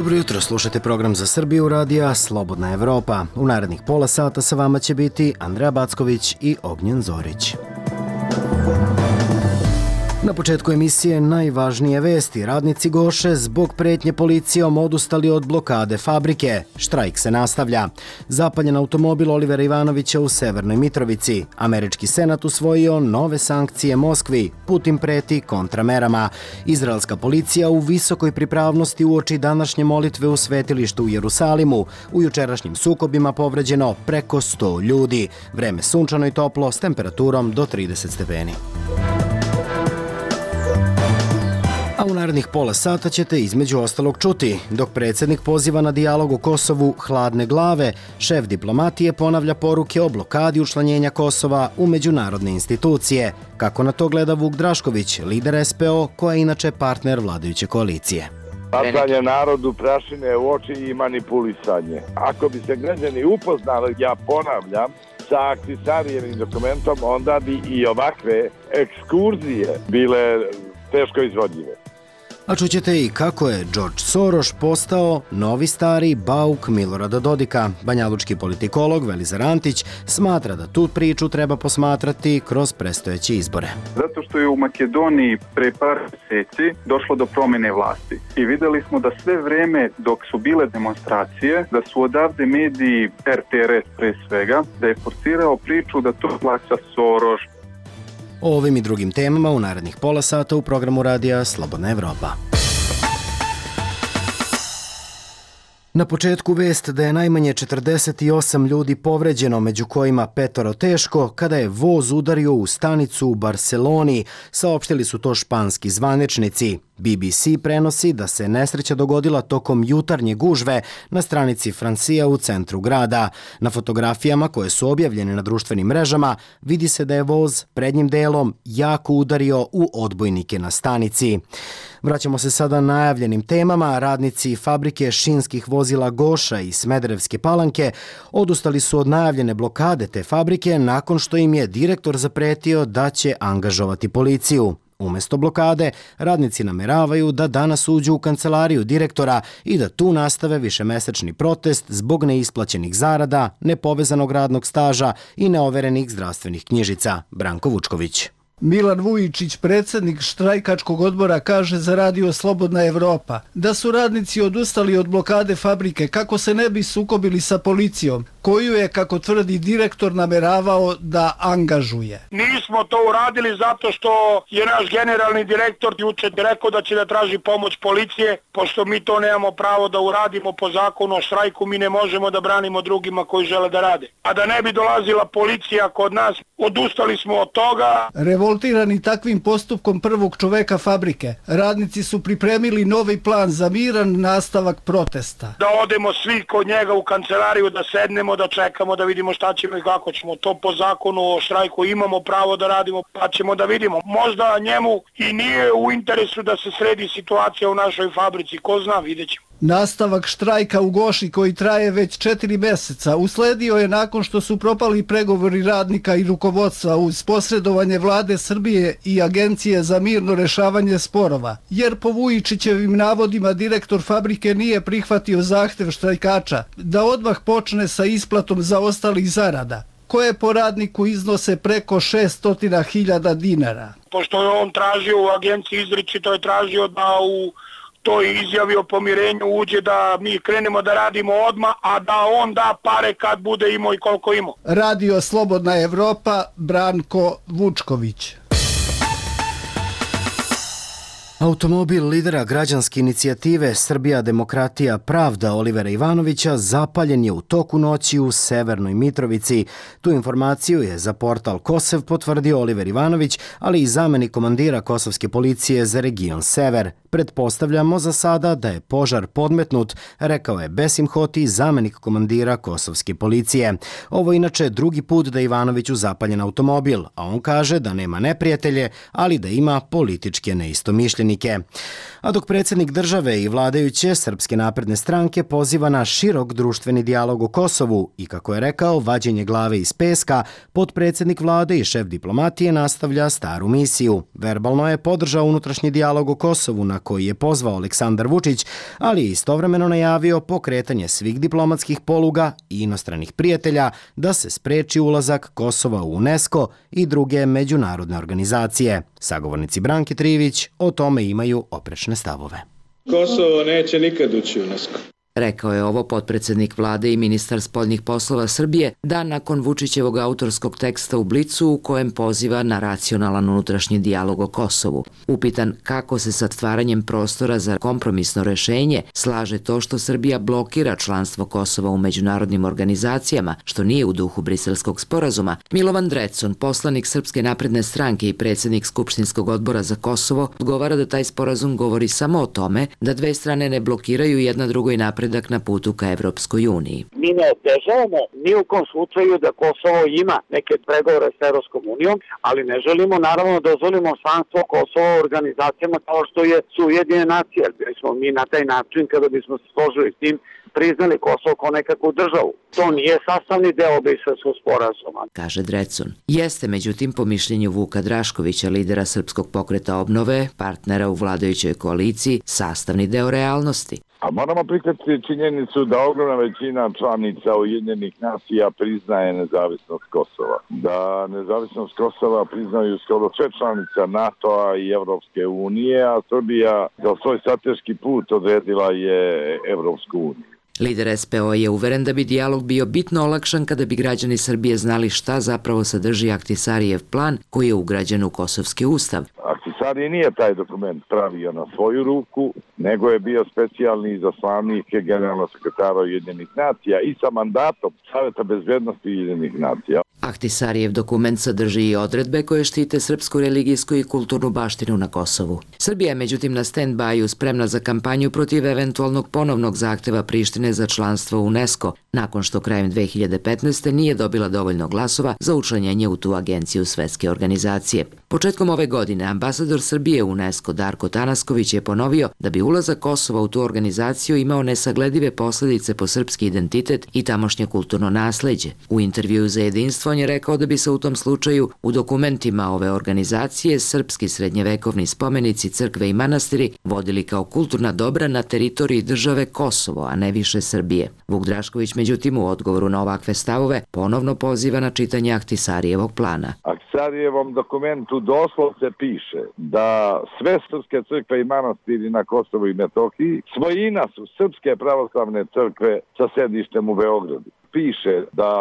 Dobro jutro, slušate program za Srbiju radija Slobodna Evropa. U narednih pola sata sa vama će biti Andreja Backović i Ognjen Zorić. Na početku emisije najvažnije vesti. Radnici Goše zbog pretnje policijom odustali od blokade fabrike. Štrajk se nastavlja. Zapaljen automobil Olivera Ivanovića u Severnoj Mitrovici. Američki senat usvojio nove sankcije Moskvi. Putin preti kontramerama. Izraelska policija u visokoj pripravnosti uoči današnje molitve u svetilištu u Jerusalimu. U jučerašnjim sukobima povređeno preko 100 ljudi. Vreme sunčano i toplo s temperaturom do 30 stepeni. A u narednih pola sata ćete između ostalog čuti. Dok predsjednik poziva na dijalog o Kosovu hladne glave, šef diplomatije ponavlja poruke o blokadi učlanjenja Kosova u međunarodne institucije. Kako na to gleda Vuk Drašković, lider SPO, koja je inače partner vladajuće koalicije. Bacanje narodu prašine u oči i manipulisanje. Ako bi se građani upoznali, ja ponavljam, sa Ahtisarijevim dokumentom, onda bi i ovakve ekskurzije bile teško izvodljive. A čućete i kako je George Soros postao novi stari bauk Milorada Dodika. Banjalučki politikolog Velizar Antić smatra da tu priču treba posmatrati kroz predstojeće izbore. Zato što je u Makedoniji pre par mjeseci došlo do promjene vlasti. I vidjeli smo da sve vreme dok su bile demonstracije, da su odavde mediji, RTRS pre svega, da je forsirao priču da to plaća Soros. O ovim i drugim temama u narednih pola sata u programu radija Slobodna Evropa. Na početku vest da je najmanje 48 ljudi povređeno, među kojima 5 teško, kada je voz udario u stanicu u Barseloni, saopštili su to španski zvaničnici. BBC prenosi da se nesreća dogodila tokom jutarnje gužve na stranici Francija u centru grada. Na fotografijama koje su objavljene na društvenim mrežama vidi se da je voz prednjim delom jako udario u odbojnike na stanici. Vraćamo se sada najavljenim temama. Radnici fabrike šinskih vozila Goša i Smederevske Palanke odustali su od najavljene blokade te fabrike nakon što im je direktor zapretio da će angažovati policiju. Umesto blokade, radnici nameravaju da danas uđu u kancelariju direktora i da tu nastave višemesečni protest zbog neisplaćenih zarada, nepovezanog radnog staža i neoverenih zdravstvenih knjižica. Branko Vučković. Milan Vujičić, predsjednik štrajkačkog odbora, kaže za radio Slobodna Evropa da su radnici odustali od blokade fabrike kako se ne bi sukobili sa policijom, koju je, kako tvrdi direktor, nameravao da angažuje. Nismo to uradili zato što je naš generalni direktor juče rekao da će da traži pomoć policije, pošto mi to nemamo pravo da uradimo po zakonu o štrajku, mi ne možemo da branimo drugima koji žele da rade. A da ne bi dolazila policija kod nas, odustali smo od toga. Revoltirani takvim postupkom prvog čoveka fabrike, radnici su pripremili novi plan za miran nastavak protesta. Da odemo svi kod njega u kancelariju, da sednemo, da čekamo, da vidimo šta ćemo i kako ćemo. To po zakonu o štrajku imamo pravo da radimo, pa ćemo da vidimo. Možda njemu i nije u interesu da se sredi situacija u našoj fabrici, ko zna, vidjet ćemo. Nastavak štrajka u Goši, koji traje već 4 mjeseca, usledio je nakon što su propali pregovori radnika i rukovodstva uz posredovanje vlade Srbije i Agencije za mirno rešavanje sporova, jer po Vujičićevim navodima direktor fabrike nije prihvatio zahtev štrajkača da odmah počne sa isplatom zaostalih zarada, koje po radniku iznose preko 600.000 dinara. Pošto je on tražio u agenciji, izričito je tražio da u to je izjavi o pomirenju uđe da mi krenemo da radimo odmah, a da on da pare kad bude imao i koliko imao. Radio Slobodna Evropa, Branko Vučković. Automobil lidera građanske inicijative Srbija, demokratija, pravda Olivera Ivanovića zapaljen je u toku noći u Severnoj Mitrovici. Tu informaciju je za portal Kosev potvrdio Oliver Ivanović, ali i zamenik komandira kosovske policije za region Sever. Pretpostavljamo za sada da je požar podmetnut, rekao je Besim Hoti, zamenik komandira kosovske policije. Ovo je inače drugi put da Ivanoviću zapaljen automobil, a on kaže da nema neprijatelje, ali da ima političke neistomišljenike. protivnike. A dok predsjednik države i vladajuće Srpske napredne stranke poziva na širok društveni dijalog o Kosovu i, kako je rekao, vađenje glave iz peska, potpredsjednik vlade i šef diplomatije nastavlja staru misiju. Verbalno je podržao unutrašnji dijalog o Kosovu na koji je pozvao Aleksandar Vučić, ali je istovremeno najavio pokretanje svih diplomatskih poluga i inostranih prijatelja da se spreči ulazak Kosova u UNESCO i druge međunarodne organizacije. Sagovornici Branke Trivić o tome imaju oprečne stavove. Kosovo neće nikad ući u UNESCO. Rekao je ovo potpredsjednik vlade i ministar spoljnih poslova Srbije dan nakon Vučićevog autorskog teksta u Blicu u kojem poziva na racionalan unutrašnji dijalog o Kosovu. Upitan kako se sa stvaranjem prostora za kompromisno rešenje slaže to što Srbija blokira članstvo Kosova u međunarodnim organizacijama, što nije u duhu Briselskog sporazuma, Milovan Drecun, poslanik Srpske napredne stranke i predsjednik Skupštinskog odbora za Kosovo, odgovara da taj sporazum govori samo o tome da dve strane ne blokiraju jedna drugoj napredak na putu ka Evropskoj uniji. Mi ne otežavamo ni u kom slučaju da Kosovo ima neke pregovore s Evropskom unijom, ali ne želimo naravno da dozvolimo članstvo Kosova u organizacijama kao što su Ujedinjene nacije. Bili smo mi na taj način, kada bismo se složili s tim, priznali Kosovo kao nekakvu državu. To nije sastavni deo Briselskog sporazuma, kaže Drecun. Jeste, međutim, po mišljenju Vuka Draškovića, lidera Srpskog pokreta obnove, partnera u vladajućoj koaliciji, sastavni deo realnosti. A moramo prihvatiti činjenicu da ogromna većina članica Ujedinjenih nacija priznaje nezavisnost Kosova. Da nezavisnost Kosova priznaju skoro sve članica NATO-a i Evropske unije, a Srbija za svoj strateški put odredila je Evropsku uniju. Lider SPO je uveren da bi dijalog bio bitno olakšan kada bi građani Srbije znali šta zapravo sadrži Ahtisarijev plan koji je ugrađen u Kosovski ustav. Ahtisari nije taj dokument pravio na svoju ruku, nego je bio specijalni izaslanik generalnog sekretara Ujedinjenih nacija i sa mandatom Saveta bezbednosti Ujedinjenih nacija. Ahtisarijev dokument sadrži i odredbe koje štite srpsku religijsku i kulturnu baštinu na Kosovu. Srbija je međutim na stand-byu spremna za kampanju protiv eventualnog ponovnog zahteva Prištine za članstvo u UNESCO, nakon što krajem 2015. nije dobila dovoljno glasova za učlanjenje u tu agenciju Svetske organizacije. Početkom ove godine ambasador Srbije u UNESCO Darko Tanasković je ponovio da bi ulazak Kosova u tu organizaciju imao nesagledive posljedice po srpski identitet i tamošnje kulturno nasleđe. U intervjuu za Jedinstvo on je rekao da bi se u tom slučaju u dokumentima ove organizacije srpski srednjevekovni spomenici, crkve i manastiri vodili kao kulturna dobra na teritoriji države Kosovo, a ne više Srbije. Vuk Drašković, međutim, u odgovoru na ovakve stavove ponovno poziva na čitanje Ahtisarijevog plana. Ahtisarijevom dokumentu doslovce piše da sve srpske crkve i manastiri na Kosovu i Metohiji svojina su Srpske pravoslavne crkve sa sedištem u Beogradu. Piše da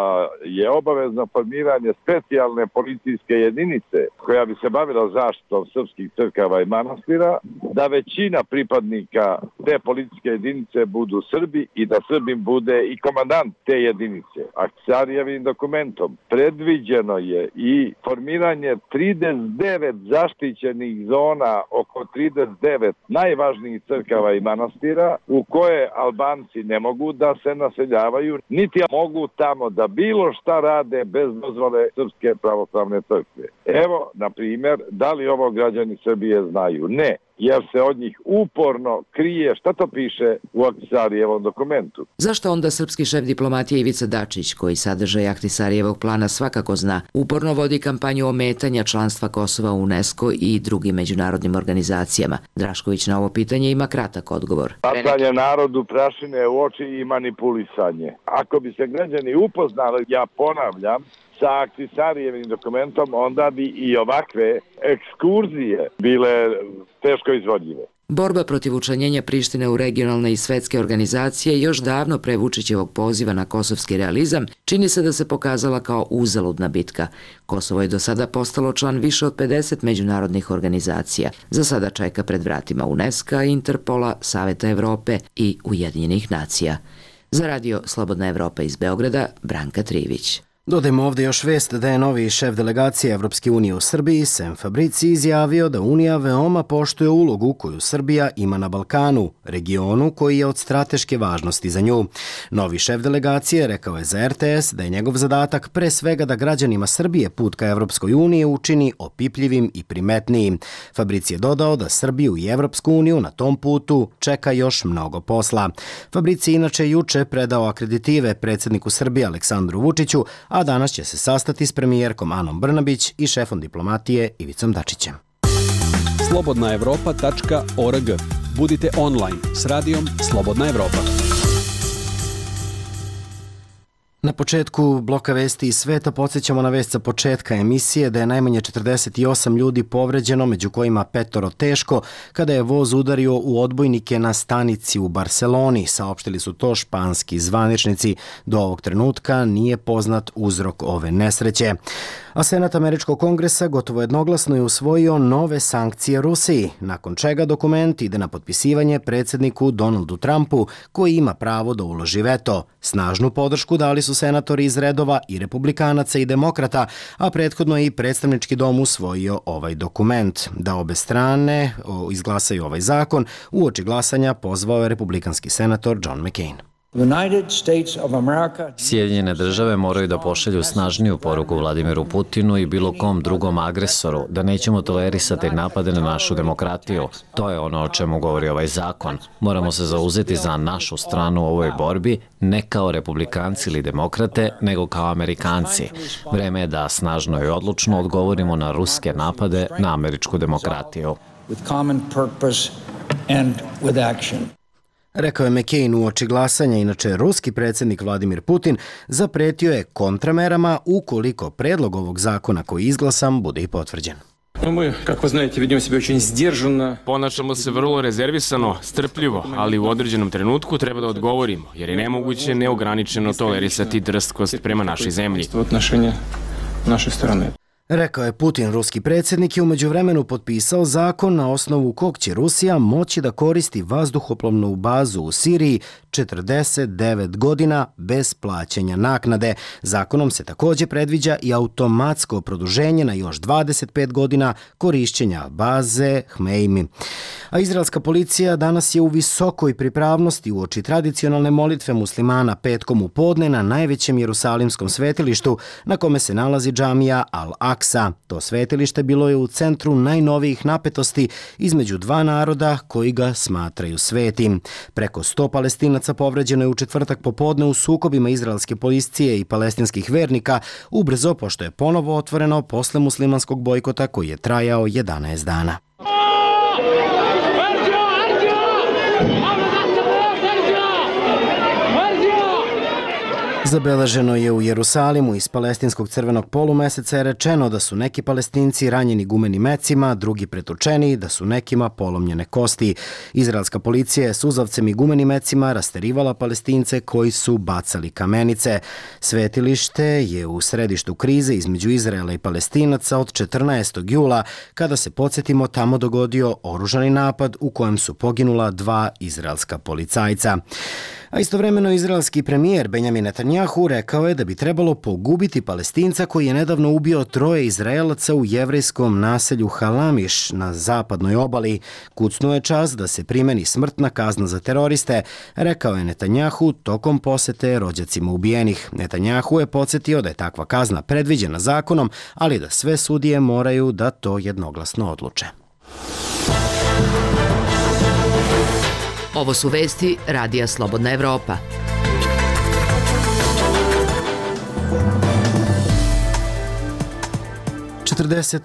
je obavezno formiranje specijalne policijske jedinice koja bi se bavila zaštitom srpskih crkava i manastira, da većina pripadnika te policijske jedinice budu Srbi i da Srbim bude i komandant te jedinice. Ahtisarijevim dokumentom predviđeno je i formiranje 39 zaštićenih zona oko 39 najvažnijih crkava i manastira u koje Albanci ne mogu da se naseljavaju, niti mogu tamo da bilo šta rade bez dozvole Srpske pravoslavne crkve. Evo, na primjer, da li ovo građani Srbije znaju? Ne, jer se od njih uporno krije šta to piše u Ahtisarijevom dokumentu. Zašto onda srpski šef diplomatije Ivica Dačić, koji sadržaj Ahtisarijevog plana svakako zna, uporno vodi kampanju ometanja članstva Kosova u UNESCO i drugim međunarodnim organizacijama? Drašković na ovo pitanje ima kratak odgovor. Bacanje narodu prašine u oči i manipulisanje. Ako bi se građani upoznali, ja ponavljam, sa Ahtisarijevim dokumentom, onda bi i ovakve ekskurzije bile teško izvodljive. Borba protiv učlanjenja Prištine u regionalne i svetske organizacije još davno pre Vučićevog poziva na kosovski realizam čini se da se pokazala kao uzaludna bitka. Kosovo je do sada postalo član više od 50 međunarodnih organizacija. Za sada čeka pred vratima UNESCO, Interpola, Saveta Evrope i Ujedinjenih nacija. Za radio Slobodna Evropa iz Beograda, Branka Trivić. Dodajmo ovdje još vest da je novi šef delegacije Evropske unije u Srbiji, Sem Fabrici, izjavio da Unija veoma poštuje ulogu koju Srbija ima na Balkanu, regionu koji je od strateške važnosti za nju. Novi šef delegacije rekao je za RTS da je njegov zadatak pre svega da građanima Srbije put ka Evropskoj uniji učini opipljivim i primetnijim. Fabrici je dodao da Srbiju i Evropsku uniju na tom putu čeka još mnogo posla. Fabrici inače juče predao akreditive predsjedniku Srbije Aleksandru Vučiću, a danas će se sastati s premijerkom Anom Brnabić i šefom diplomatije Ivicom Dačićem. slobodnaevropa.org. Budite online s radijom Slobodna Evropa. Na početku bloka vesti iz sveta podsjećamo na vest sa početka emisije da je najmanje 48 ljudi povređeno, među kojima 5 teško, kada je voz udario u odbojnike na stanici u Barseloni. Saopštili su to španski zvaničnici. Do ovog trenutka nije poznat uzrok ove nesreće. A Senat Američkog kongresa gotovo jednoglasno je usvojio nove sankcije Rusiji, nakon čega dokument ide na potpisivanje predsjedniku Donaldu Trumpu, koji ima pravo da uloži veto. Snažnu podršku dali su senatori iz redova i republikanaca i demokrata, a prethodno je i predstavnički dom usvojio ovaj dokument. Da obe strane izglasaju ovaj zakon, uoči glasanja pozvao je republikanski senator John McCain. Sjedinjene države moraju da pošalju snažniju poruku Vladimiru Putinu i bilo kom drugom agresoru da nećemo tolerisati napade na našu demokratiju. To je ono o čemu govori ovaj zakon. Moramo se zauzeti za našu stranu u ovoj borbi, ne kao republikanci ili demokrate, nego kao Amerikanci. Vreme je da snažno i odlučno odgovorimo na ruske napade na američku demokratiju. Rekao je McCain uoči glasanja. Inače, ruski predsjednik Vladimir Putin zapretio je kontramerama ukoliko predlog ovog zakona koji je izglasan bude i potvrđen. Ponašamo se vrlo rezervisano, strpljivo, ali u određenom trenutku treba da odgovorimo, jer je nemoguće neograničeno tolerisati drskost prema našoj zemlji. Rekao je Putin. Ruski predsjednik je u međuvremenu potpisao zakon na osnovu kog će Rusija moći da koristi vazduhoplovnu bazu u Siriji 49 godina bez plaćanja naknade. Zakonom se također predviđa i automatsko produženje na još 25 godina korišćenja baze Hmeimi. A izraelska policija danas je u visokoj pripravnosti uoči tradicionalne molitve muslimana petkom u podne na najvećem jerusalimskom svetilištu na kome se nalazi džamija Al-Aksa. To svetilište bilo je u centru najnovijih napetosti između dva naroda koji ga smatraju svetim. Preko 100 Palestinaca povređeno je u četvrtak popodne u sukobima izraelske policije i palestinskih vernika, ubrzo pošto je ponovo otvoreno posle muslimanskog bojkota koji je trajao 11 dana. Zabeleženo je u Jerusalimu. Iz palestinskog crvenog polumeseca je rečeno da su neki Palestinci ranjeni gumenim mecima, drugi pretučeni, da su nekima polomljene kosti. Izraelska policija je suzavcem i gumenim mecima rasterivala Palestince koji su bacali kamenice. Svetilište je u središtu krize između Izraela i Palestinaca od 14. jula, kada se, podsjetimo, tamo dogodio oružani napad u kojem su poginula 2 izraelska policajca. A istovremeno izraelski premijer Benjamin Netanjahu rekao je da bi trebalo pogubiti Palestinca koji je nedavno ubio 3 Izraelaca u jevrejskom naselju Halamiš na zapadnoj obali. Kucnuo je čas da se primeni smrtna kazna za teroriste, rekao je Netanjahu tokom posete rođacima ubijenih. Netanjahu je podsjetio da je takva kazna predviđena zakonom, ali da sve sudije moraju da to jednoglasno odluče. Ovo su vesti Radija Slobodna Evropa. Četrdeset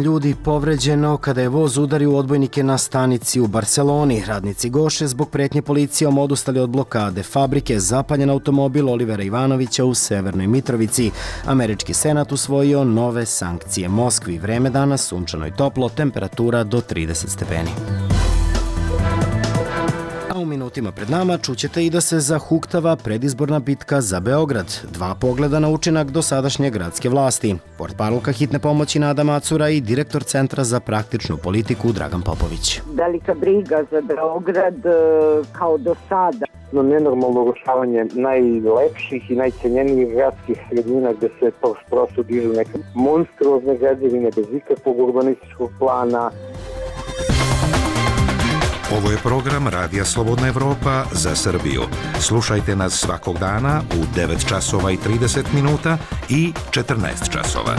ljudi povređeno kada je voz udario u odbojnike na stanici u Barseloni. Radnici Goše zbog pretnje policijom odustali od blokade fabrike. Zapaljen automobil Olivera Ivanovića u Severnoj Mitrovici. Američki senat usvojio nove sankcije Moskvi. Vreme danas sunčano i toplo, temperatura do 30 stepeni. U minutima pred nama čućete i da se zahuktava predizborna bitka za Beograd. 2 pogleda na učinak dosadašnje gradske vlasti. Portparolka hitne pomoći Nada Macura i direktor Centra za praktičnu politiku Dragan Popović. Velika briga za Beograd kao do sada. nenormalno urušavanje najlepših i najcenjenijih gradskih sredina gde se prosto dižu neke monstruozne građevine bez ikakvog urbanističkog plana. Ovo je program Radija Slobodna Evropa za Srbiju. Slušajte nas svakog dana u 9 časova i 30 minuta i 14 časova.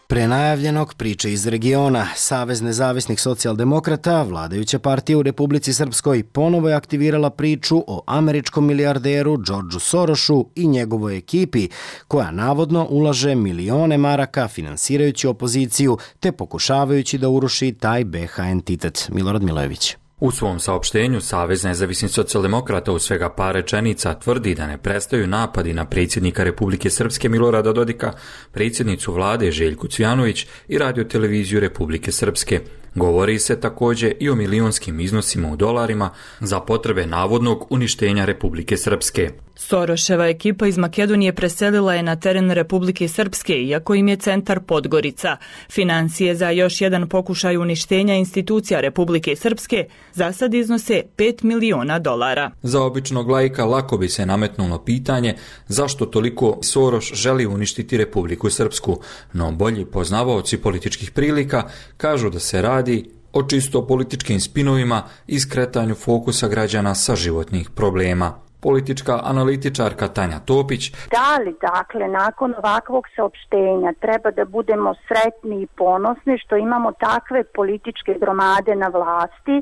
Pre najavljenog priče iz regiona, Savez nezavisnih socijaldemokrata, vladajuća partija u Republici Srpskoj, ponovo je aktivirala priču o američkom milijarderu Georgeu Sorosu i njegovoj ekipi, koja navodno ulaže milione maraka finansirajući opoziciju te pokušavajući da uruši taj BH entitet. Milorad Milojević. U svom saopštenju Savez nezavisnih socijaldemokrata u svega par rečenica tvrdi da ne prestaju napadi na predsjednika Republike Srpske Milorada Dodika, predsjednicu vlade Željku Cvijanović i radioteleviziju Republike Srpske. Govori se također i o milionskim iznosima u dolarima za potrebe navodnog uništenja Republike Srpske. Soroševa ekipa iz Makedonije preselila je na teren Republike Srpske, iako im je centar Podgorica. Financije za još jedan pokušaj uništenja institucija Republike Srpske za sad iznose $5 miliona. Za običnog laika lako bi se nametnulo pitanje zašto toliko Soros želi uništiti Republiku Srpsku, no bolji poznavaoci političkih prilika kažu da se radi o čisto političkim spinovima i skretanju fokusa građana sa životnih problema. Politička analitičarka Tanja Topić. Da li, dakle, nakon ovakvog saopštenja treba da budemo sretni i ponosni što imamo takve političke gromade na vlasti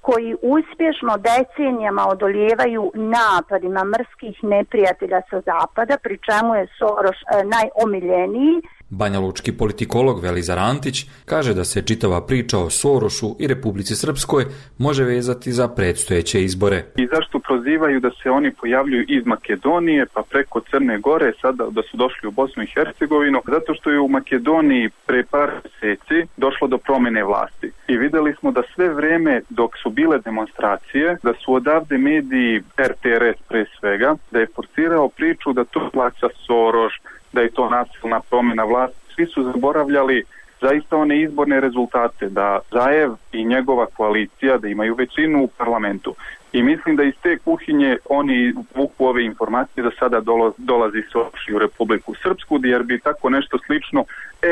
koji uspješno decenijama odolijevaju napadima mrskih neprijatelja sa zapada, pri čemu je Soros najomiljeniji. Banjalučki politikolog Velizar Antić kaže da se čitava priča o Sorosu i Republici Srpskoj može vezati za predstojeće izbore. I zašto prozivaju da se oni pojavljuju iz Makedonije pa preko Crne Gore, sada da su došli u Bosnu i Hercegovinu? Zato što je u Makedoniji pre par mjeseci došlo do promjene vlasti. I vidjeli smo da sve vrijeme dok su bile demonstracije, da su odavde mediji, RTRS pre svega, da je forsirao priču da to plaća Soros, da je to nasilna promjena vlasti. Svi su zaboravljali zaista one izborne rezultate, da Zaev i njegova koalicija da imaju većinu u parlamentu. I mislim da iz te kuhinje oni vuku ove informacije da sada dolazi Soros u Republiku Srpsku, jer bi tako nešto slično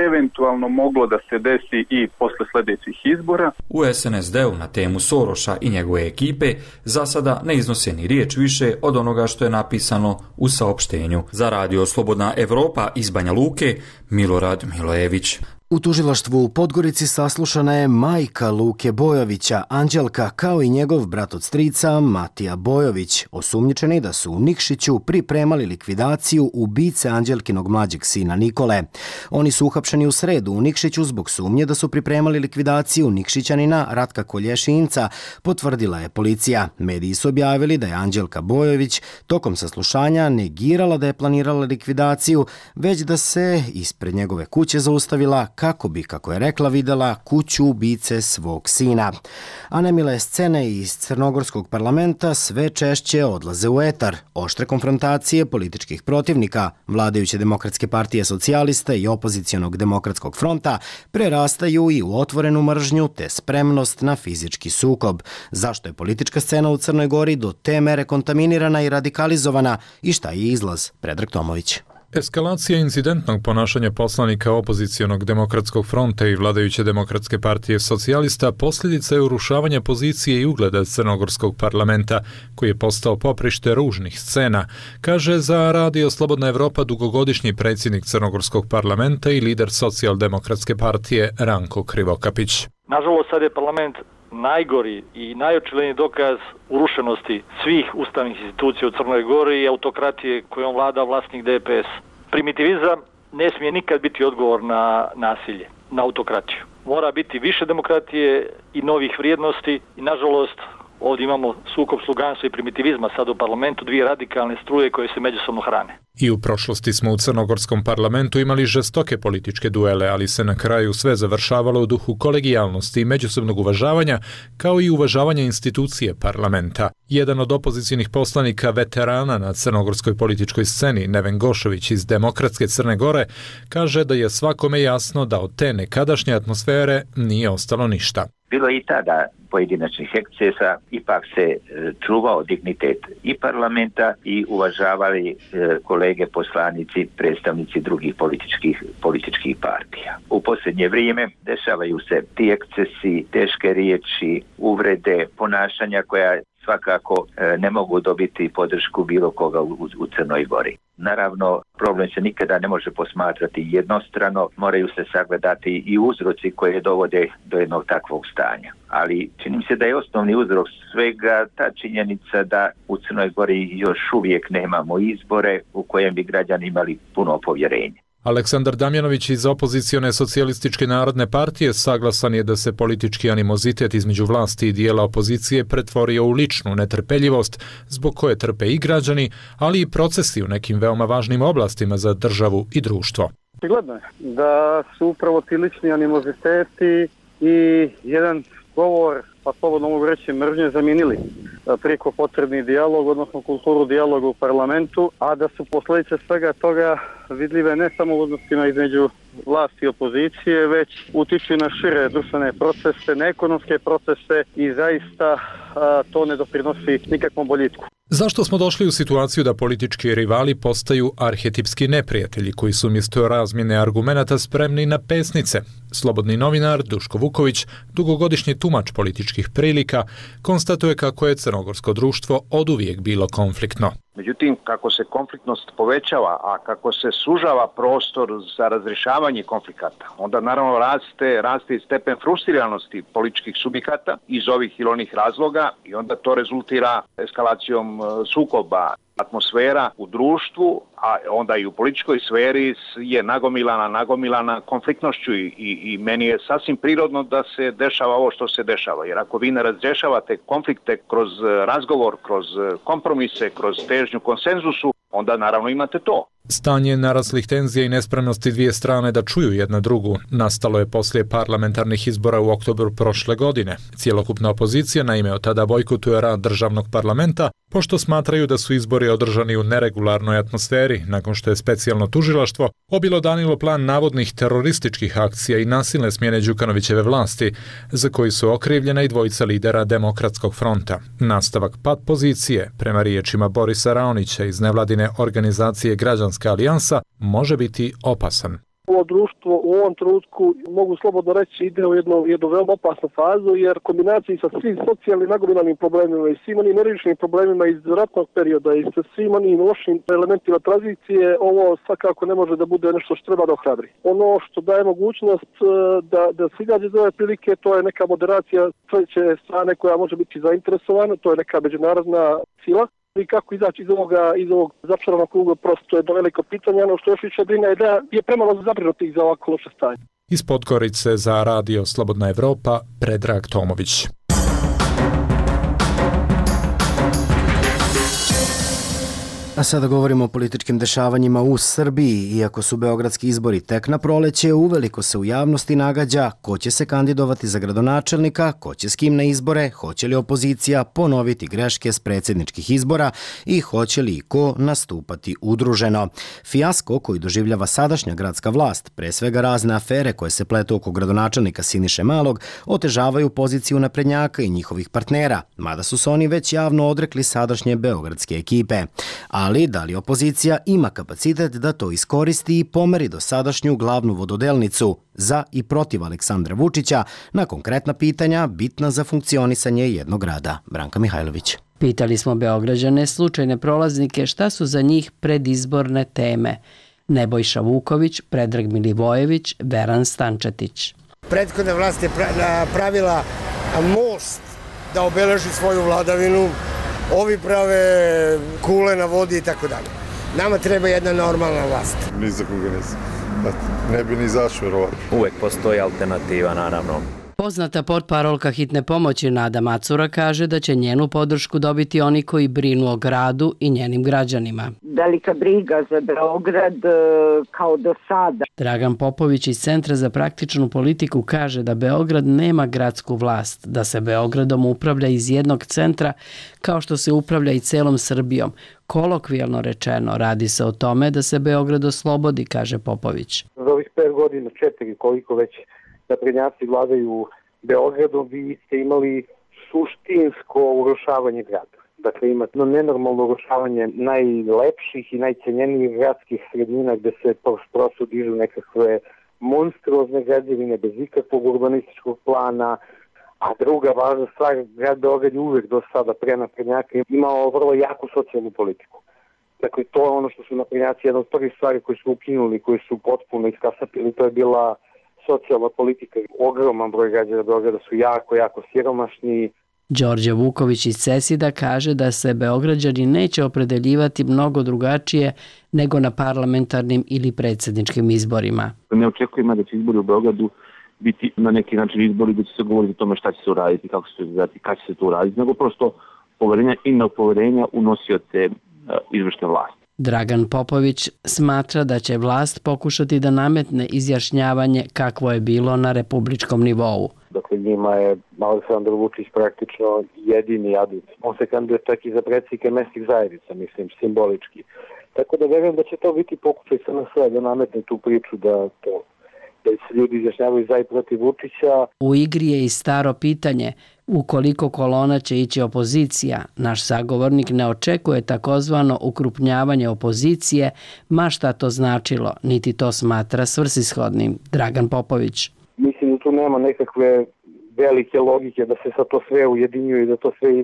eventualno moglo da se desi i posle sljedećih izbora. U SNSD-u na temu Sorosa i njegove ekipe za sada ne iznose ni riječ više od onoga što je napisano u saopštenju. Za Radio Slobodna Evropa iz Banja Luke, Milorad Milojević. U tužilaštvu u Podgorici saslušana je majka Luke Bojovića, Anđelka, kao i njegov brat od strica Matija Bojović, osumnjičeni da su u Nikšiću pripremali likvidaciju ubice Anđelkinog mlađeg sina Nikole. Oni su uhapšeni u sredu u Nikšiću zbog sumnje da su pripremali likvidaciju Nikšićanina Ratka Kolješinca, potvrdila je policija. Mediji su objavili da je Anđelka Bojović tokom saslušanja negirala da je planirala likvidaciju, već da se ispred njegove kuće zaustavila kako bi, kako je rekla, videla kuću ubice svog sina. A nemile scene iz crnogorskog parlamenta sve češće odlaze u etar. Oštre konfrontacije političkih protivnika, vladajuće Demokratske partije socijalista i opozicionog Demokratskog fronta prerastaju i u otvorenu mržnju te spremnost na fizički sukob. Zašto je politička scena u Crnoj Gori do te mere kontaminirana i radikalizovana i šta je izlaz? Predrag Tomović. Eskalacija incidentnog ponašanja poslanika opozicionog Demokratskog fronta i vladajuće Demokratske partije socijalista posljedica je urušavanja pozicije i ugleda crnogorskog parlamenta, koji je postao poprište ružnih scena, kaže za Radio Slobodna Evropa dugogodišnji predsjednik crnogorskog parlamenta i lider socijaldemokratske partije Ranko Krivokapić. Nažalost, sad je parlament najgori i najočigledniji dokaz urušenosti svih ustavnih institucija u Crnoj Gori i autokratije kojom vlada vlasnik DPS. Primitivizam ne smije nikad biti odgovor na nasilje, na autokratiju. Mora biti više demokratije i novih vrijednosti i nažalost ovdje imamo sukob sluganstva i primitivizma sad u parlamentu, dvije radikalne struje koje se međusobno hrane. I u prošlosti smo u crnogorskom parlamentu imali žestoke političke duele, ali se na kraju sve završavalo u duhu kolegijalnosti i međusobnog uvažavanja, kao i uvažavanja institucije parlamenta. Jedan od opozicijnih poslanika veterana na crnogorskoj političkoj sceni, Neven Gošović iz Demokratske Crne Gore, kaže da je svakome jasno da od te nekadašnje atmosfere nije ostalo ništa. Bilo je i tada pojedinačnih ekscesa, ipak se čuvao dignitet i parlamenta i uvažavali kolege poslanici, predstavnici drugih političkih partija. U posljednje vrijeme dešavaju se ti ekscesi, teške riječi, uvrede, ponašanja koja svakako ne mogu dobiti podršku bilo koga u Crnoj Gori. Naravno, problem se nikada ne može posmatrati jednostrano, moraju se sagledati i uzroci koje dovode do jednog takvog stanja. Ali čini mi se da je osnovni uzrok svega ta činjenica da u Crnoj Gori još uvijek nemamo izbore u kojem bi građani imali puno povjerenje. Aleksandar Damjanović iz opozicione socijalističke narodne partije saglasan je da se politički animozitet između vlasti i dijela opozicije pretvorio u ličnu netrpeljivost zbog koje trpe i građani, ali i procesi u nekim veoma važnim oblastima za državu i društvo. Gledno je da su upravo ti lični animoziteti i jedan govor, pa slobodno mogu reći mržnje, zamijenili preko potrebni dijalog, odnosno kulturu dijaloga u parlamentu, a da su posljedice svega toga vidljive ne samo u odnosima između vlasti i opozicije, već utiču na šire društvene procese, na ekonomske procese i zaista to ne doprinosi nikakvom boljitku. Zašto smo došli u situaciju da politički rivali postaju arhetipski neprijatelji koji su umjesto razmjene argumenata spremni na pesnice? Slobodni novinar Duško Vuković, dugogodišnji tumač političkih prilika, konstatuje kako je crnogorsko društvo oduvijek bilo konfliktno. Međutim, kako se konfliktnost povećava, a kako se sužava prostor za razrješavanje konflikata, onda naravno raste i stepen frustriranosti političkih subjekata iz ovih ili onih razloga i onda to rezultira eskalacijom sukoba. Atmosfera u društvu, a onda i u političkoj sferi je nagomilana konfliktnošću i meni je sasvim prirodno da se dešava ovo što se dešava. Jer ako vi ne razrješavate konflikte kroz razgovor, kroz kompromise, kroz težnju konsenzusu, onda naravno imate to. Stanje naraslih tenzija i nespremnosti dvije strane da čuju jedna drugu nastalo je poslije parlamentarnih izbora u oktobru prošle godine. Cjelokupna opozicija naime od tada bojkotuje rad državnog parlamenta, pošto smatraju da su izbori održani u neregularnoj atmosferi, nakon što je specijalno tužilaštvo obilodanilo plan navodnih terorističkih akcija i nasilne smjene Đukanovićeve vlasti, za koji su okrivljena i dvojica lidera Demokratskog fronta. Nastavak pad pozicije, prema riječima Borisa Raonića iz nevladine organizacije Građanska alijansa, može biti opasan. Ovo društvo u ovom trenutku, mogu slobodno reći, ide u jednu veoma opasnu fazu, jer kombinaciji sa svim socijalnim nagomilanim problemima i svim onim neriješenim problemima iz ratnog perioda i sa svim onim lošim elementima tranzicije, ovo svakako ne može da bude nešto što treba da ohrabri. Ono što daje mogućnost da se izađe iz ove prilike, to je neka moderacija treće strane koja može biti zainteresovana, to je neka međunarodna sila. I kako izaći iz ovog začaranog kruga, prosto je to veliko pitanje. Ono što još više brine je da je premalo zabrinutih za ovako loše stanje. Iz Podgorice za radio Slobodna Evropa, Predrag Tomović. A sada govorimo o političkim dešavanjima u Srbiji. Iako su beogradski izbori tek na proleće, uveliko se u javnosti nagađa ko će se kandidovati za gradonačelnika, ko će s kim na izbore, hoće li opozicija ponoviti greške s predsjedničkih izbora i hoće li i ko nastupati udruženo. Fijasko koji doživljava sadašnja gradska vlast, pre svega razne afere koje se pletu oko gradonačelnika Siniše Malog, otežavaju poziciju naprednjaka i njihovih partnera, mada su se oni već javno odrekli sadašnje beogradske ekipe. Ali da li opozicija ima kapacitet da to iskoristi i pomeri dosadašnju glavnu vododelnicu za i protiv Aleksandra Vučića na konkretna pitanja bitna za funkcionisanje jednog grada? Branka Mihajlović. Pitali smo Beograđane, slučajne prolaznike, šta su za njih predizborne teme. Nebojša Vuković, Predrag Milivojević, Veran Stančetić. Prethodna vlast je pravila most da obeleži svoju vladavinu. Ovi prave kule na vodi i tako dalje. Nama treba jedna normalna vlast. Ni za koga nisam. Ne bi ni zašao verovatno. Uvek postoji alternativa, naravno. Poznata portparolka hitne pomoći Nada Macura kaže da će njenu podršku dobiti oni koji brinu o gradu i njenim građanima. Velika briga za Beograd kao do sada. Dragan Popović iz Centra za praktičnu politiku kaže da Beograd nema gradsku vlast, da se Beogradom upravlja iz jednog centra kao što se upravlja i celom Srbijom. Kolokvijalno rečeno, radi se o tome da se Beograd oslobodi, kaže Popović. Za ovih 5 godina, 4 koliko već naprednjaci vladaju Beogradom vi ste imali suštinsko urušavanje grada. Dakle, imate nenormalno urušavanje najlepših i najcenjenijih gradskih sredina gde se prosto dižu nekakve monstruozne građevine bez ikakvog urbanističkog plana, a druga važna stvar, grad Beograd je uvek do sada pre naprednjaka imao vrlo jaku socijalnu politiku. Dakle, to je ono što su naprednjaci, jedna od prvih stvari koje su ukinuli, koji su potpuno iskasapili, to je bila socijalna politika. Ogroman broj građana Beograda su jako siromašni. Đorđe Vuković iz CESID-a kaže da se Beograđani neće opredeljivati mnogo drugačije nego na parlamentarnim ili predsjedničkim izborima. Ne očekujemo da će izbori u Beogradu biti na neki način izbori da će se govoriti o tome šta će se uraditi, kako će se uraditi, kada će se to uraditi, nego prosto poverenja i nepoverenja u nosioce izvršne vlasti. Dragan Popović smatra da će vlast pokušati da nametne izjašnjavanje kakvo je bilo na republičkom nivou. Dakle, njima je Aleksandar Vučić praktično jedini adut. On se kandiduje čak i za predsjednike mesnih zajednica, mislim, simbolički. Tako da verujem da će to biti pokušaj SNS da nametne tu priču da se ljudi izjašnjavaju za i protiv Vučića. U igri je i staro pitanje, ukoliko kolona će ići opozicija, naš sagovornik ne očekuje takozvano ukrupnjavanje opozicije, ma šta to značilo, niti to smatra svrsishodnim. Dragan Popović. Mislim da tu nema nekakve velike logike da se sad to sve ujedinjuje i da to sve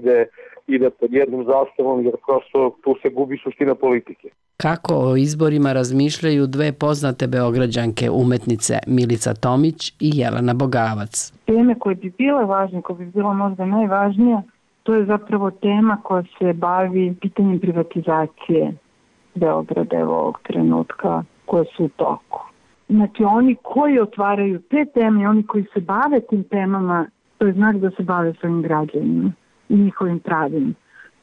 ide pod jednom zastavom, jer prosto tu se gubi suština politike. Kako o izborima razmišljaju dve poznate beograđanke umetnice Milica Tomić i Jelena Bogavac? Teme koje bi bile važne, koje bi bila možda najvažnija, to je zapravo tema koja se bavi pitanjem privatizacije Beograda ovog trenutka koje su u toku. Znači oni koji otvaraju te teme, oni koji se bave tim temama, to je znak da se bave svojim građanima i njihovim pravima.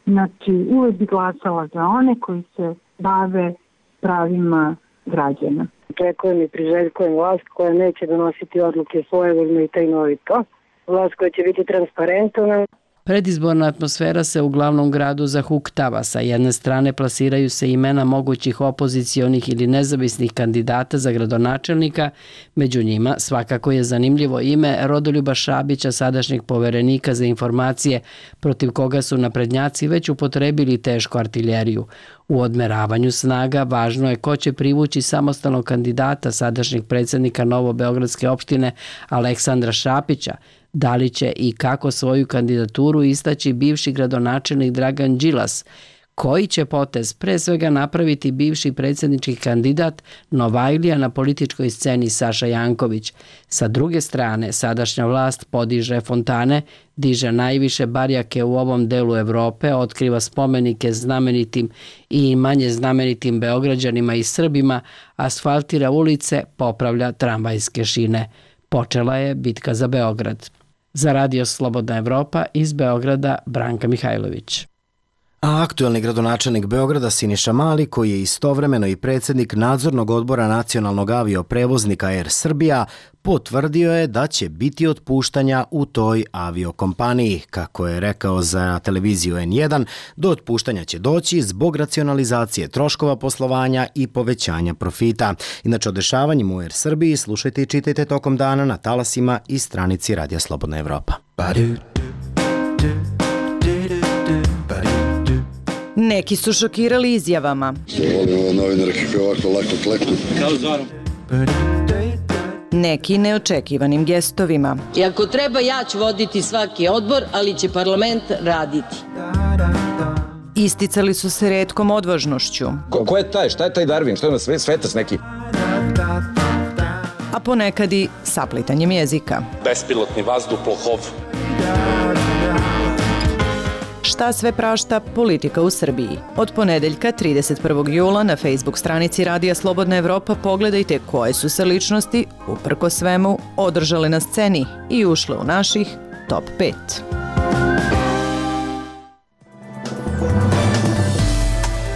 Znači uvek bi glasala za one koji se bave pravima građana. Očekujem i priželjkujem vlast koja neće donositi odluke svojevoljno i tajnovito. Vlast koja će biti transparentna. Predizborna atmosfera se u glavnom gradu zahuktava. Sa jedne strane plasiraju se imena mogućih opozicionih ili nezavisnih kandidata za gradonačelnika. Među njima svakako je zanimljivo ime Rodoljuba Šabića, sadašnjeg poverenika za informacije, protiv koga su naprednjaci već upotrebili tešku artiljeriju. U odmeravanju snaga važno je ko će privući samostalnog kandidata sadašnjeg predsjednika Novobeogradske opštine Aleksandra Šapića. Da li će i kako svoju kandidaturu istaći bivši gradonačelnik Dragan Đilas? Koji će potez pre svega napraviti bivši predsjednički kandidat Novajlija na političkoj sceni Saša Janković? Sa druge strane, sadašnja vlast podiže fontane, diže najviše barjake u ovom delu Evrope, otkriva spomenike znamenitim i manje znamenitim Beograđanima i Srbima, asfaltira ulice, popravlja tramvajske šine. Počela je bitka za Beograd. Za Radio Slobodna Evropa iz Beograda Branka Mihajlović. A aktuelni gradonačelnik Beograda Siniša Mali, koji je istovremeno i predsjednik nadzornog odbora nacionalnog avioprevoznika Air Srbija, potvrdio je da će biti otpuštanja u toj aviokompaniji. Kako je rekao za televiziju N1, do otpuštanja će doći zbog racionalizacije troškova poslovanja i povećanja profita. Inače, o dešavanjima u Air Srbiji slušajte i čitajte tokom dana na talasima i stranici Radija Slobodna Evropa. Neki su šokirali izjavama. Volim novinare kako ovako lako kleknu. Kao Zoran. Neki neočekivanim gestovima. I ako treba, ja ću voditi svaki odbor, ali će parlament raditi. Isticali su se retkom odvažnošću. Ko je taj? Šta je taj Darwin? Šta je na svetac neki? A ponekad i saplitanjem jezika. Bespilotni vazduhoplov. Šta sve prašta politika u Srbiji? Od ponedeljka 31. jula na Facebook stranici Radija Slobodna Evropa pogledajte koje su se ličnosti, uprko svemu, održale na sceni i ušle u naših top 5.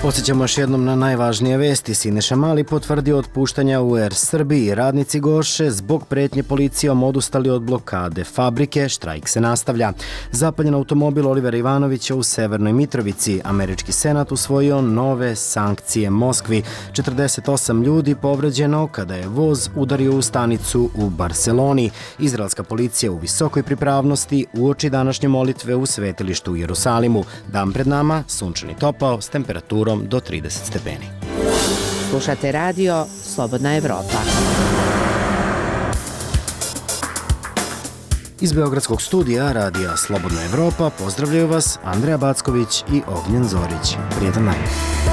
Podsjećamo još jednom na najvažnije vesti. Siniša Mali potvrdio otpuštanja u Air Srbiji. Radnici Goše zbog pretnje policijom odustali od blokade fabrike. Štrajk se nastavlja. Zapaljen automobil Olivera Ivanovića u Severnoj Mitrovici. Američki senat usvojio nove sankcije Moskvi. 48 ljudi povređeno kada je voz udario u stanicu u Barseloni. Izraelska policija u visokoj pripravnosti uoči današnje molitve u svetilištu u Jerusalimu. Dan pred nama, sunčani topao s temperaturom do 30 stepeni. Slušate radio Slobodna Evropa. Iz Beogradskog studija radija Slobodna Evropa pozdravljaju vas Andreja Backović i Ognjen Zorić. Prijetan dan.